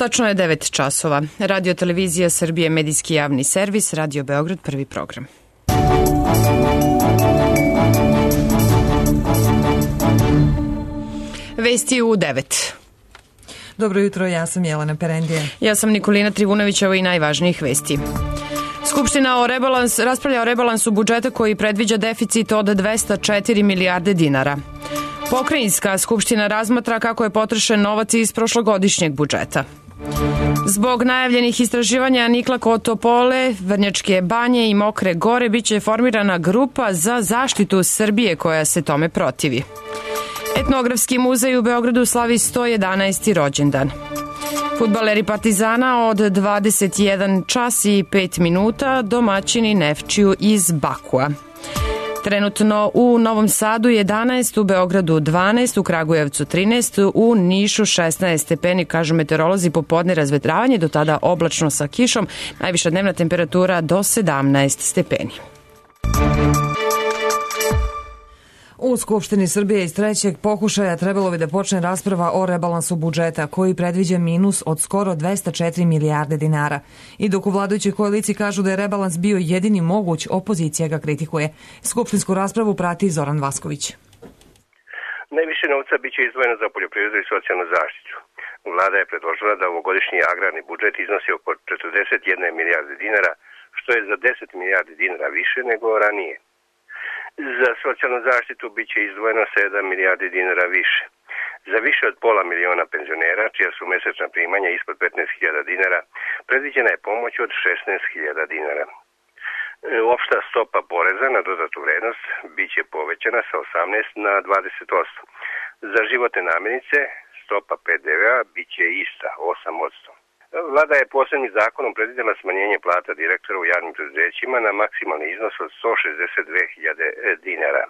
Tačno je 9 časova. Radio televizija Srbije, medijski javni servis, Radio Beograd, prvi program. Vesti u 9. Dobro jutro, ja sam Jelena Perendija. Ja sam Nikolina Trivunović, ovo i najvažnijih vesti. Skupština raspravlja o rebalansu budžeta koji predviđa deficit od 204 milijarde dinara. Pokrajinska skupština razmatra kako je potrošen novac iz prošlogodišnjeg budžeta. Zbog najavljenih istraživanja nikla kod Topole, Vrnjačke banje i Mokre gore biće formirana grupa za zaštitu Srbije koja se tome protivi. Etnografski muzej u Beogradu slavi 111. rođendan. Fudbaleri Partizana od 21 čas i 5 minuta domaćini Nefčiju iz Bakua. Trenutno u Novom Sadu 11, u Beogradu 12, u Kragujevcu 13, u Nišu 16 stepeni, kažu meteorolozi, popodne razvetravanje, do tada oblačno sa kišom, najviša dnevna temperatura do 17 stepeni. U Skupštini Srbije iz trećeg pokušaja trebalo bi da počne rasprava o rebalansu budžeta, koji predviđa minus od skoro 204 milijarde dinara. I dok u vladajućoj koaliciji kažu da je rebalans bio jedini moguć, opozicija ga kritikuje. Skupštinsku raspravu prati Zoran Vasković. Najviše novca biće izdvojeno za poljoprivredu i socijalnu zaštitu. Vlada je predložila da ovogodišnji agrarni budžet iznosi oko 41 milijarde dinara, što je za 10 milijardi dinara više nego ranije. Za socijalnu zaštitu biće izdvojeno 7 milijardi dinara više. Za više od pola miliona penzionera, čija su mesečna primanja ispod 15.000 dinara, predviđena je pomoć od 16.000 dinara. Opšta stopa poreza na dodatu vrednost biće povećana sa 18 na 20%. Za životne namirnice stopa PDV-a biće ista, 8%. Vlada je posebnim zakonom predvidela smanjenje plata direktora u javnim preduzećima na maksimalni iznos od 162.000 dinara.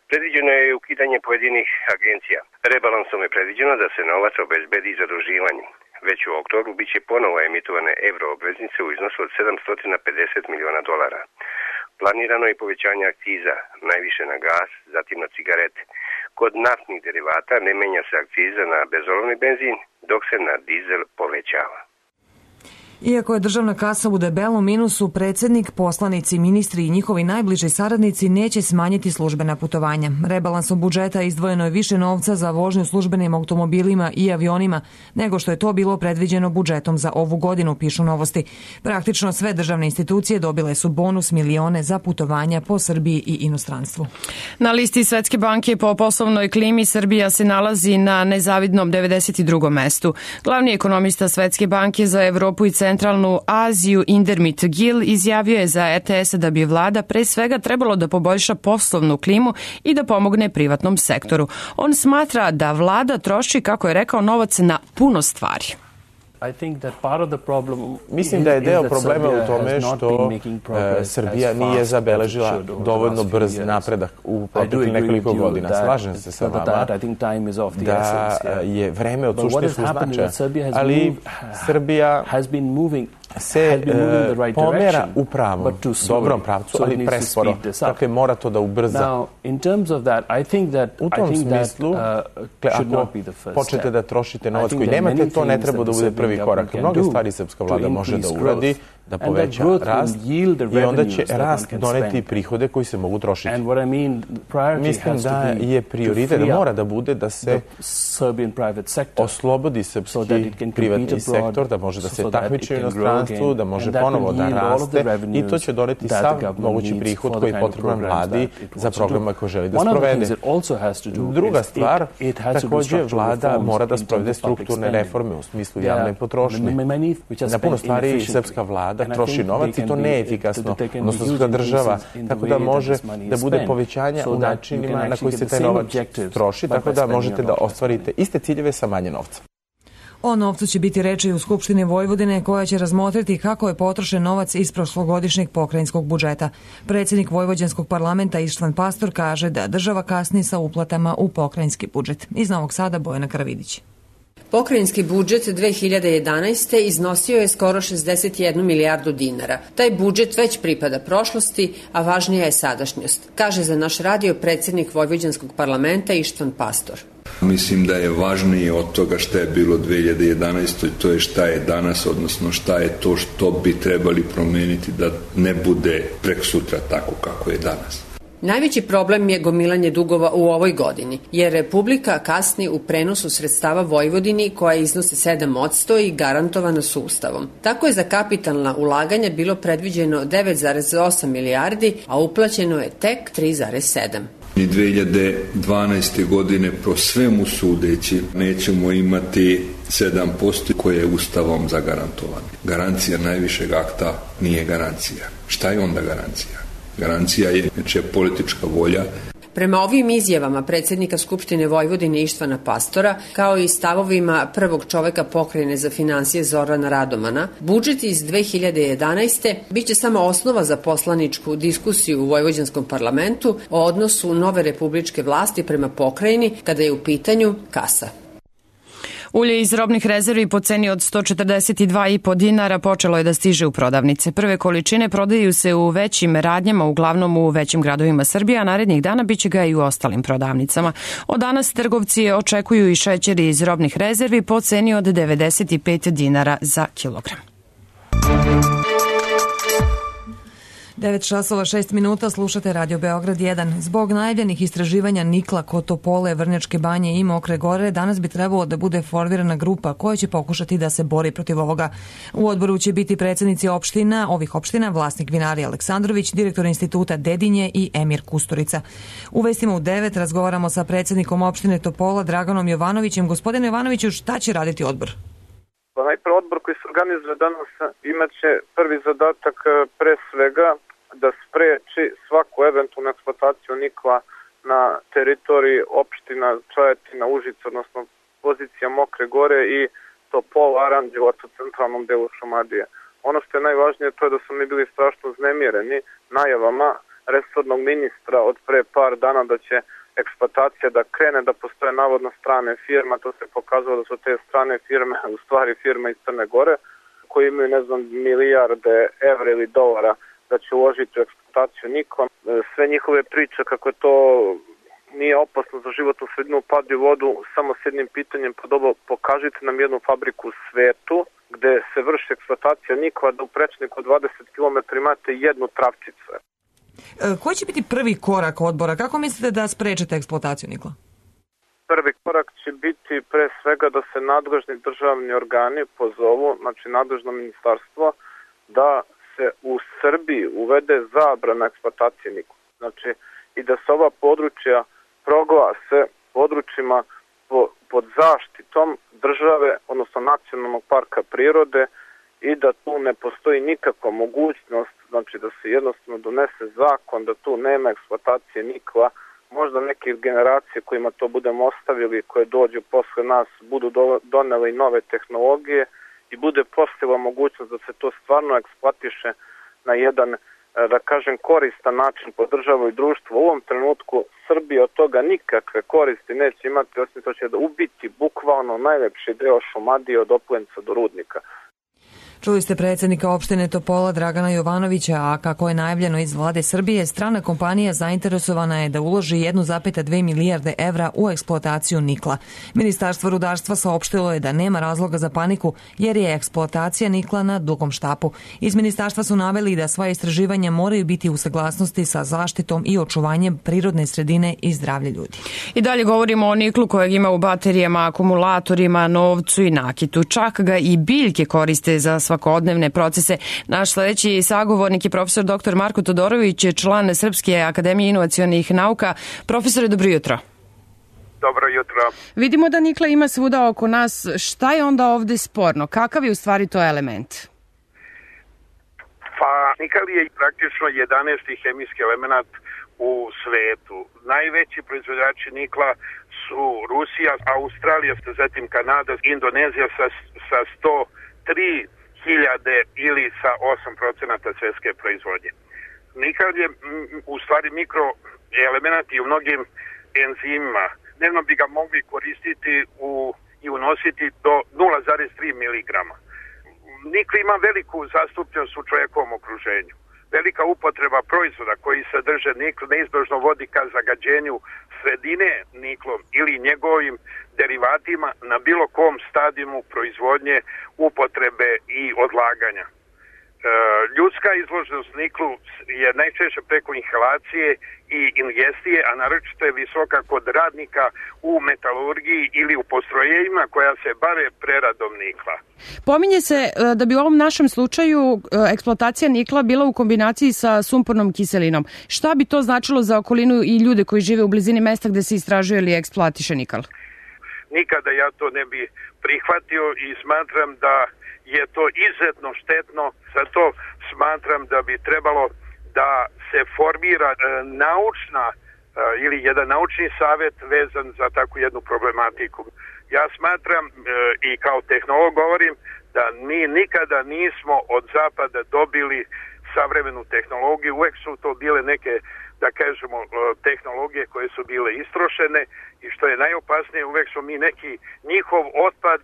Predviđeno je i ukidanje pojedinih agencija. Rebalansom je predviđeno da se novac obezbedi zaduživanjem. Već u oktobru biće ponovo emitovane evroobveznice u iznosu od 750 miliona dolara. Planirano je povećanje akciza, najviše na gas, zatim na cigarete. Kod naftnih derivata ne menja se akciza na bezolovni benzin, dok se na dizel povećava. Iako je državna kasa u debelom minusu, predsjednik, poslanici, ministri i njihovi najbliži saradnici neće smanjiti službena putovanja. Rebalansom budžeta izdvojeno je više novca za vožnju službenim automobilima i avionima nego što je to bilo predviđeno budžetom za ovu godinu, pišu Novosti. Praktično sve državne institucije dobile su bonus milione za putovanja po Srbiji i inostranstvu. Na listi Svetske banke po poslovnoj klimi Srbija se nalazi na nezavidnom 92. mestu. Glavni ekonomista Svetske banke za Evropu i Centralnu Aziju Indermit Gill izjavio je za RTS da bi vlada pre svega trebalo da poboljša poslovnu klimu i da pomogne privatnom sektoru. On smatra da vlada troši, kako je rekao, novac na puno stvari. Mislim da je deo problema u tome što Srbija nije zabeležila dovoljno brz napredak u proteklih nekoliko godina. Slažem se sa vama da je vreme od suštinskog značaja, ali Srbija se pomera u pravom, dobrom pravcu, ali presporo. Dakle, mora to da ubrza. U tom smislu, ako počnete da trošite novac koji nemate, to ne treba da bude prvi korak. Mnoge stvari srpska vlada može da uradi, da poveća rast i onda će rast doneti prihode koji se mogu trošiti. Mislim da je prioritet, da mora da bude da se oslobodi srpski privatni sektor, da može da se takmiči u inostranstvu, da može ponovo da raste i to će doneti sav mogući prihod koji je potreban vladi za programa koje želi da sprovede. Druga stvar, takođe vlada mora da sprovede strukturne reforme u smislu javne potrošnje. Na puno stvari srpska vlada troši novac i to neefikasno, odnosno srpska država, tako da može da bude povećanja u načinima na koji se taj novac troši, tako da možete da ostvarite iste ciljeve sa manje novca. O novcu će biti reči u Skupštini Vojvodine, koja će razmotriti kako je potrošen novac iz prošlogodišnjeg pokrajinskog budžeta. Predsjednik Vojvođanskog parlamenta Ištvan Pastor kaže da država kasni sa uplatama u pokrajinski budžet. Iz Novog Sada Bojana Karavidić. Pokrajinski budžet 2011. iznosio je skoro 61 milijardu dinara. Taj budžet već pripada prošlosti, a važnija je sadašnjost, kaže za naš radio predsjednik Vojvođanskog parlamenta Ištvan Pastor. Mislim da je važnije od toga šta je bilo 2011. to je šta je danas, odnosno šta je to što bi trebali promeniti da ne bude prekosutra tako kako je danas. Najveći problem je gomilanje dugova u ovoj godini, jer Republika kasni u prenosu sredstava Vojvodini koja iznose 7% i garantovana su Ustavom. Tako je za kapitalna ulaganja bilo predviđeno 9,8 milijardi, a uplaćeno je tek 3,7. Ni 2012. godine po svemu sudeći nećemo imati 7% koje je Ustavom zagarantovano. Garancija najvišeg akta nije garancija. Šta je onda garancija? Garancija je nečija politička volja. Prema ovim izjavama predsjednika Skupštine Vojvodine Ištvana Pastora, kao i stavovima prvog čoveka pokrajine za finansije Zorana Radomana, budžet iz 2011. biće samo osnova za poslaničku diskusiju u Vojvođanskom parlamentu o odnosu nove republičke vlasti prema pokrajini kada je u pitanju kasa. Ulje iz robnih rezervi po ceni od 142,5 dinara počelo je da stiže u prodavnice. Prve količine prodaju se u većim radnjama, uglavnom u većim gradovima Srbije, a narednih dana biće ga i u ostalim prodavnicama. Od danas trgovci očekuju i šećer iz robnih rezervi po ceni od 95 dinara za kilogram. 9 časova 6 minuta, slušate Radio Beograd 1. Zbog najavljenih istraživanja nikla kod Topole, Vrnjačke Banje i Mokre Gore, danas bi trebalo da bude formirana grupa koja će pokušati da se bori protiv ovoga. U odboru će biti predsjednici ovih opština, vlasnik vinarija Aleksandrović, direktor instituta Dedinje i Emir Kusturica. U vestima u 9 razgovaramo sa predsjednikom opštine Topola, Draganom Jovanovićem. Gospodine Jovanoviću, šta će raditi odbor? Pa najprije odbor koji se organizuje danas imaće prvi zadatak pre svega da spreči svaku eventualnu eksploataciju nikla na teritoriji opština Čajetina, Užica, odnosno pozicija Mokre Gore i Topola, Aranđelovac u centralnom delu Šumadije. Ono što je najvažnije to je da su mi bili strašno uznemireni najavama resornog ministra od pre par dana da će eksploatacija da krene, da postoje navodno strane firme, to se pokazalo da su te strane firme u stvari firme iz Crne Gore koji imaju milijarde evra ili dolara da će uložiti u eksploataciju nikla. Sve njihove priče kako to nije opasno za životnu sredinu padaju u vodu samo s jednim pitanjem, pa dobro, pokažite nam jednu fabriku u svetu gde se vrši eksploatacija nikla da u prečniku 20 km imate jednu travčicu. Koji će biti prvi korak odbora? Kako mislite da sprečete eksploataciju nikla? Prvi korak će biti pre svega da se nadležni državni organi pozovu, znači nadležno ministarstvo, da se u Srbiji uvede zabrana eksploatacije nikla. Znači i da se ova područja proglase područjima pod zaštitom države, odnosno nacionalnog parka prirode i da tu ne postoji nikakva mogućnost, znači da se jednostavno donese zakon da tu nema eksploatacije nikla. Možda neke generacije kojima to budemo ostavili, koje dođu posle nas, budu doneli nove tehnologije i bude postojala mogućnost da se to stvarno eksploatiše na jedan, da kažem, koristan način po državu i društvo. U ovom trenutku Srbija od toga nikakve koristi neće imati, osim to će da ubiti bukvalno najlepši deo Šumadije od Oplenca do Rudnika. Čuli ste predsjednika opštine Topola Dragana Jovanovića, a kako je najavljeno iz vlade Srbije, strana kompanija zainteresovana je da uloži 1,2 milijarde evra u eksploataciju nikla. Ministarstvo rudarstva saopštilo je da nema razloga za paniku jer je eksploatacija nikla na dugom štapu. Iz ministarstva su naveli da sva istraživanja moraju biti u saglasnosti sa zaštitom i očuvanjem prirodne sredine i zdravlja ljudi. I dalje govorimo o niklu kojeg ima u baterijama, akumulatorima, novcu i nakitu. Čak ga i biljke koriste za svakodnevne procese. Naš sledeći sagovornik je profesor dr. Marko Todorović, član Srpske akademije inovacionih nauka. Profesore, dobro jutro. Dobro jutro. Vidimo da nikla ima svuda oko nas. Šta je onda ovde sporno? Kakav je u stvari to element? Pa, nikl je praktično 11. hemijski element u svetu. Najveći proizvođači nikla su Rusija, Australija, zatim Kanada, Indonezija sa 103 hiljade ili sa 8% svjetske proizvodnje. Nikl je u stvari mikroelement i u mnogim enzimima. Dnevno bi ga mogli koristiti u i unositi do 0,3 mg. Nikl ima veliku zastupljenost u čovjekovom okruženju. Velika upotreba proizvoda koji sadrže nikl neizbježno vodi ka zagađenju sredine niklom ili njegovim derivatima na bilo kom stadijumu proizvodnje, upotrebe i odlaganja. Ljudska izloženost niklu je najčešće preko inhalacije i ingestije, a naročito je visoka kod radnika u metalurgiji ili u postrojenjima koja se bave preradom nikla. Pominje se da bi u ovom našem slučaju eksploatacija nikla bila u kombinaciji sa sumpornom kiselinom. Šta bi to značilo za okolinu i ljude koji žive u blizini mesta gde se istražuje ili eksploatiše nikl? Nikada ja to ne bi prihvatio i smatram da je to izuzetno štetno, zato smatram da bi trebalo da se formira naučna ili jedan naučni savjet vezan za takvu jednu problematiku. Ja smatram i kao tehnolog govorim da mi nikada nismo od zapada dobili savremenu tehnologiju, uvek su to bile neke, da kažemo, tehnologije koje su bile istrošene i što je najopasnije, uvek su mi neki njihov otpad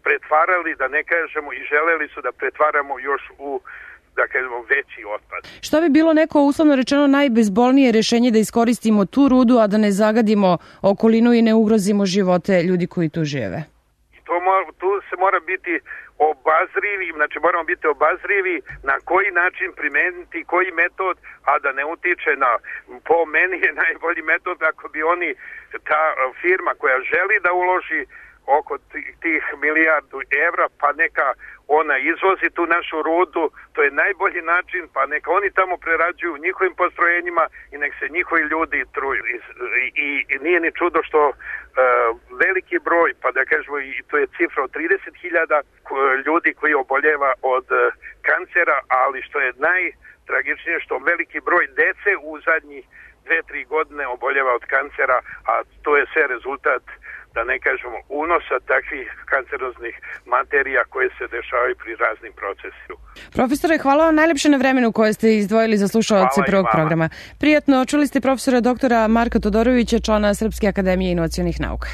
pretvarali, da ne kažemo, i želeli su da pretvaramo još u, da kažemo, veći otpad. Šta bi bilo neko, uslovno rečeno, najbezbolnije rešenje da iskoristimo tu rudu, a da ne zagadimo okolinu i ne ugrozimo živote ljudi koji tu žive? Tu se mora biti obazrivi, znači moramo biti obazrivi na koji način primeniti, koji metod, a da ne utiče na, po meni je najbolji metod ako bi oni, ta firma koja želi da uloži oko tih milijardu evra, pa neka ona izvozi tu našu rudu, to je najbolji način, pa neka oni tamo prerađuju u njihovim postrojenjima i nek se njihovi ljudi truju. I nije ni čudo što veliki broj, pa da kažemo, i to je cifra od 30.000 ljudi koji oboljeva od kancera, ali što je najtragičnije što veliki broj dece u zadnjih 2-3 godine oboljeva od kancera, a to je sve rezultat, da ne kažemo, unosa takvih kanceroznih materija koje se dešavaju pri raznim procesima. Profesore, hvala vam najlepše na vremenu koje ste izdvojili za slušaoce prvog programa. Prijatno, čuli ste profesora doktora Marka Todorovića, člana Srpske akademije inovacionih nauka.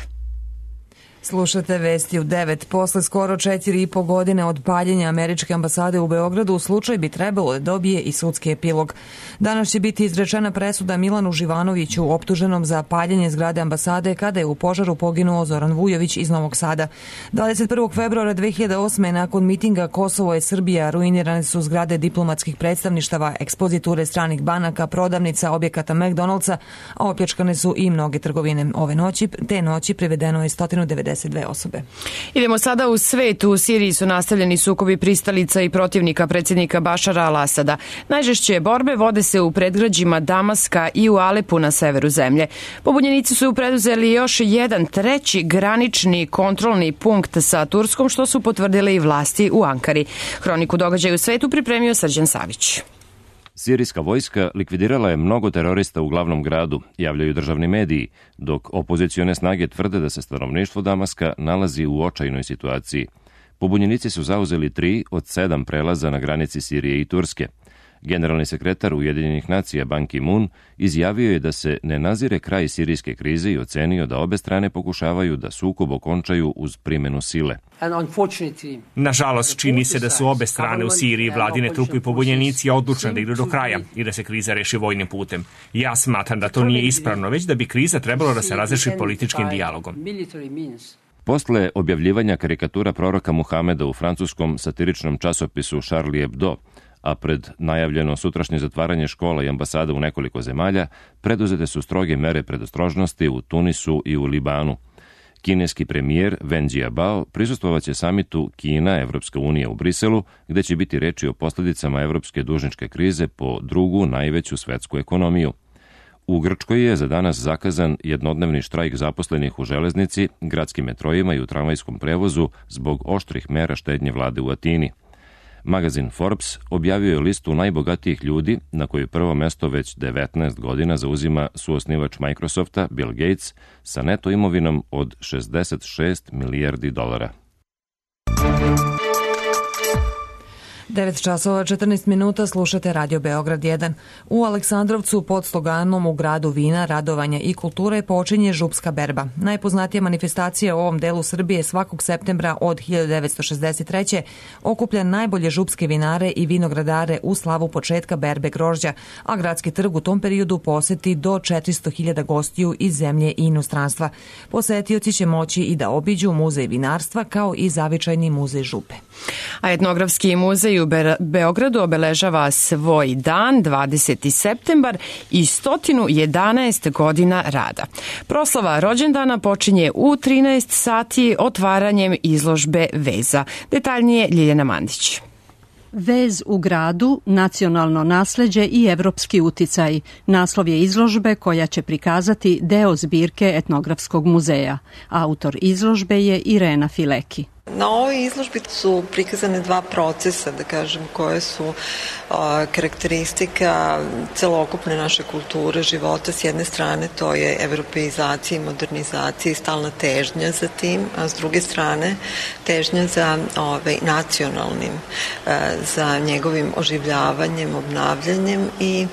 Slušate Vesti u 9. Posle skoro 4,5 godine od paljenja američke ambasade u Beogradu, slučaj bi trebalo da dobije i sudski epilog. Danas će biti izrečena presuda Milanu Živanoviću, optuženom za paljenje zgrade ambasade kada je u požaru poginuo Zoran Vujović iz Novog Sada. 21. februara 2008. nakon mitinga Kosovo je Srbija, ruinirane su zgrade diplomatskih predstavništava, ekspoziture stranih banaka, prodavnica, objekata McDonald'sa, a opljačkane su i mnoge trgovine. Te noći privedeno je 192 osobe. Idemo sada u svet. U Siriji su nastavljeni sukobi pristalica i protivnika predsjednika Bašara al-Asada. Najžešće borbe vode se u predgrađima Damaska i u Alepu na severu zemlje. Pobunjenici su preduzeli još jedan treći granični kontrolni punkt sa Turskom, što su potvrdile i vlasti u Ankari. Hroniku događaja u svetu pripremio Srđan Savić. Sirijska vojska likvidirala je mnogo terorista u glavnom gradu, javljaju državni mediji, dok opozicione snage tvrde da se stanovništvo Damaska nalazi u očajnoj situaciji. Pobunjenici su zauzeli 3 od 7 prelaza na granici Sirije i Turske. Generalni sekretar Ujedinjenih nacija Ban Ki-moon izjavio je da se ne nazire kraj sirijske krize i ocenio da obe strane pokušavaju da sukob okončaju uz primjenu sile. Nažalost, čini se da su obe strane u Siriji, vladine trupe i pobunjenici, odlučne da idu do kraja i da se kriza reši vojnim putem. Ja smatram da to nije ispravno, već da bi kriza trebalo da se razreši političkim dijalogom. Posle objavljivanja karikatura proroka Muhameda u francuskom satiričnom časopisu Charlie Hebdo, a pred najavljeno sutrašnje zatvaranje škola i ambasada u nekoliko zemalja, preduzete su stroge mere predostrožnosti u Tunisu i u Libanu. Kineski premijer Wen Jiabao prisustvovaće samitu Kina-Evropska unija u Briselu, gde će biti reči o posljedicama evropske dužničke krize po drugu najveću svetsku ekonomiju. U Grčkoj je za danas zakazan jednodnevni štrajk zaposlenih u železnici, gradskim metrojima i u tramvajskom prevozu zbog oštrih mera štednje vlade u Atini. Magazin Forbes objavio je listu najbogatijih ljudi, na kojoj prvo mesto već 19 godina zauzima suosnivač Microsofta, Bill Gates, sa neto imovinom od $66 milijardi. 9 časova 14 minuta slušate Radio Beograd 1. U Aleksandrovcu pod sloganom U gradu vina, radovanja i kulture počinje župska berba. Najpoznatija manifestacija u ovom delu Srbije svakog septembra od 1963. okuplja najbolje župske vinare i vinogradare u slavu početka berbe grožđa, a gradski trg u tom periodu poseti do 400.000 gostiju iz zemlje i inostranstva. Posetioci će moći i da obiđu muzej vinarstva kao i zavičajni muzej župe. A etnografski muzej u Beogradu obeležava svoj dan, 20. septembar i 111 godina rada. Proslava rođendana počinje u 13 sati otvaranjem izložbe Veza. Detaljnije Ljiljana Mandić. Vez u gradu, nacionalno nasleđe i evropski uticaj. Naslov je izložbe koja će prikazati deo zbirke etnografskog muzeja. Autor izložbe je Irena Fileki. Na ovoj izložbi su prikazane dva procesa, da kažem, koje su karakteristika celokupne naše kulture, života. S jedne strane to je evropeizacija i modernizacija i stalna težnja za tim, a s druge strane težnja za nacionalnim, za njegovim oživljavanjem, obnavljanjem i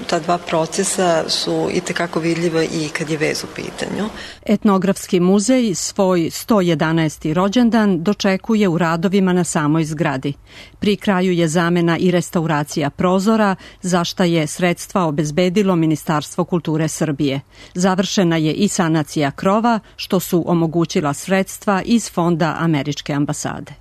ta dva procesa su i tekako vidljiva i kad je vez u pitanju. Etnografski muzej svoj 111. rođendan dočekuje u radovima na samoj zgradi. Pri kraju je zamena i restauracija prozora, za šta je sredstva obezbedilo Ministarstvo kulture Srbije. Završena je i sanacija krova, što su omogućila sredstva iz fonda Američke ambasade.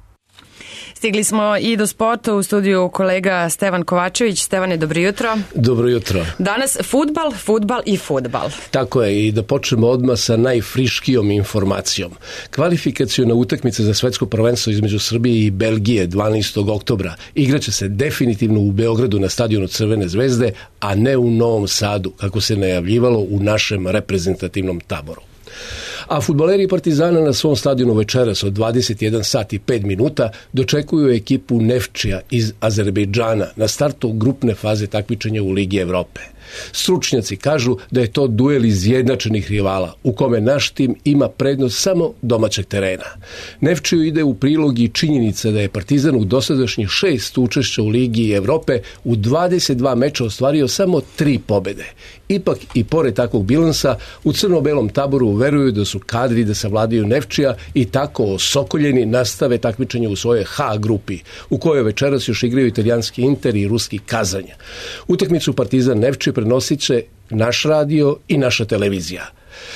Stigli smo i do sporta, u studiju kolega Stevan Kovačević. Stevane, dobro jutro. Dobro jutro. Danas fudbal i fudbal. Tako je, i da počnemo odmah sa najfriškijom informacijom. Kvalifikaciona utakmica za svetsko prvenstvo između Srbije i Belgije 12. oktobra igraće se definitivno u Beogradu na stadionu Crvene zvezde, a ne u Novom Sadu, kako se najavljivalo u našem reprezentativnom taboru. A fudbaleri Partizana na svom stadionu večeras od 21 sat i 5 minuta dočekuju ekipu Nefčija iz Azerbejdžana na startu grupne faze takmičenja u Ligi Evrope. Stručnjaci kažu da je to duel izjednačenih rivala u kome naš tim ima prednost samo domaćeg terena. Nefčiju ide u prilog i činjenica da je Partizan u dosadašnjih 6 učešća u Ligi Evrope u 22 meča ostvario samo 3 pobede. Ipak i pored takvog bilansa u crno-belom taboru veruju da su kadri da savladaju Nefčija i tako osokoljeni nastave takmičenje u svojoj H grupi, u kojoj večeras još igraju italijanski Inter i ruski Kazanj. Utakmicu Partizan Nefčija prenosit će naš radio i naša televizija.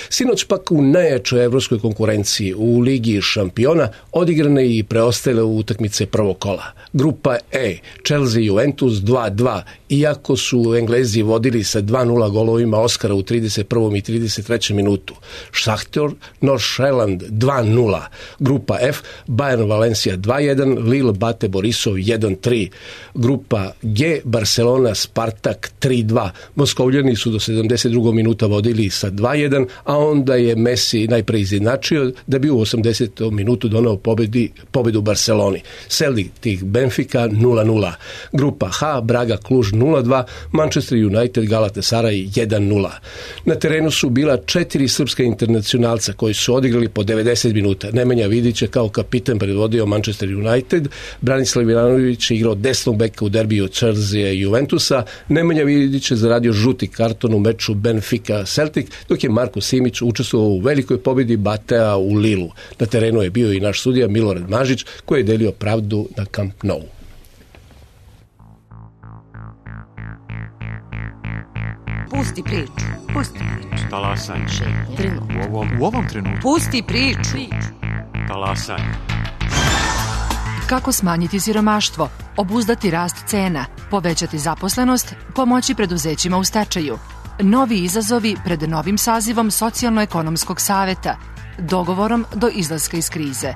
Sinoć pak u najjačoj evropskoj konkurenciji u Ligi šampiona odigrane i preostale utakmice prvog kola. Grupa E, Chelsea Juventus 2-2, iako su Englezi vodili sa 2-0 golovima Oskara u 31. i 33. minutu. Šahtor Nordsjælland 2-0. Grupa F, Bayern Valencia 2-1, Lille Bate Borisov 1-3. Grupa G, Barcelona Spartak 3-2. Moskovljani su do 72. minuta vodili sa 2-1, a onda je Messi najpre izjednačio da bi u 80. minutu donao pobedu Barceloni. Celtic Benfica 0-0. Grupa H, Braga Kluž 0-2, Manchester United Galatasaray 1-0. Na terenu su bila 4 srpska internacionalca koji su odigrali po 90 minuta. Nemanja Vidić je kao kapitan predvodio Manchester United, Branislav Ivanović je igrao desnog beka u derbiju Chelsea i Juventusa, Nemanja Vidić je zaradio žuti karton u meču Benfica Celtic, dok je Marko Simić učestvovao u velikoj pobjedi Batea u Lilu. Na terenu je bio i naš sudija Milorad Mažić koji je delio pravdu na Camp Nou. Pusti priču. Talasaj. U ovom trenutku. Pusti priču. Talasaj. Kako smanjiti siromaštvo, obuzdati rast cena, povećati zaposlenost, pomoći preduzećima u stečaju. Novi izazovi pred novim sazivom Socijalno-ekonomskog saveta, dogovorom do izlaska iz krize.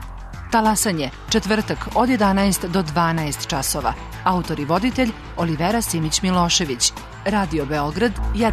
Talasanje, četvrtak od 11 do 12 časova. Autor i voditelj Olivera Simić-Milošević. Radio Beograd 1.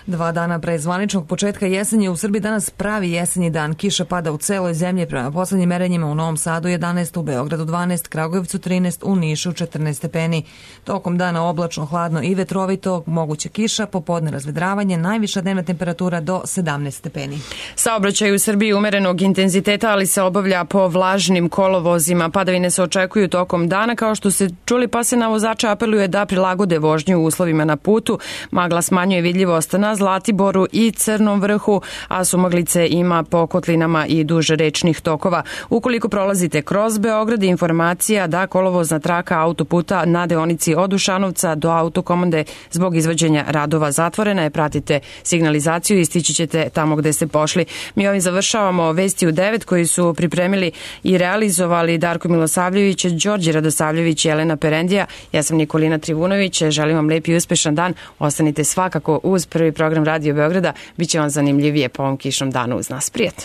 2 dana pre zvaničnog početka jesenje u Srbiji danas pravi jesenji dan. Kiša pada u celoj zemlji prema poslednjim merenjima u Novom Sadu 11, u Beogradu 12, Kragujevcu 13, u Nišu 14 stepeni. Tokom dana oblačno, hladno i vetrovito, moguća kiša, popodne razvedravanje, najviša dnevna temperatura do 17 stepeni. Saobraćaj u Srbiji umerenog intenziteta, ali se obavlja po vlažnim kolovozima. Padavine se očekuju tokom dana, kao što se čuli, pa se na vozače apeluje da prilagode vožnju u uslovima na putu. Magla smanjuje vidljivost na Zlatiboru i Crnom vrhu, a sumaglice ima po kotlinama i duž rečnih tokova. Ukoliko prolazite kroz Beograd, informacija da kolovozna traka autoputa na deonici od Dušanovca do Autokomande zbog izvođenja radova zatvorena je. Pratite signalizaciju i stići ćete tamo gde ste pošli. Mi ovim završavamo Vesti u 9 koji su pripremili i realizovali Darko Milosavljević, Đorđe Radosavljević i Jelena Perendija. Ja sam Nikolina Trivunović, želim vam lep i uspešan dan. Ostanite svakako uz prvi program Radio Beograda, biće vam zanimljivije po ovom kišnom danu uz nas. Prijatno!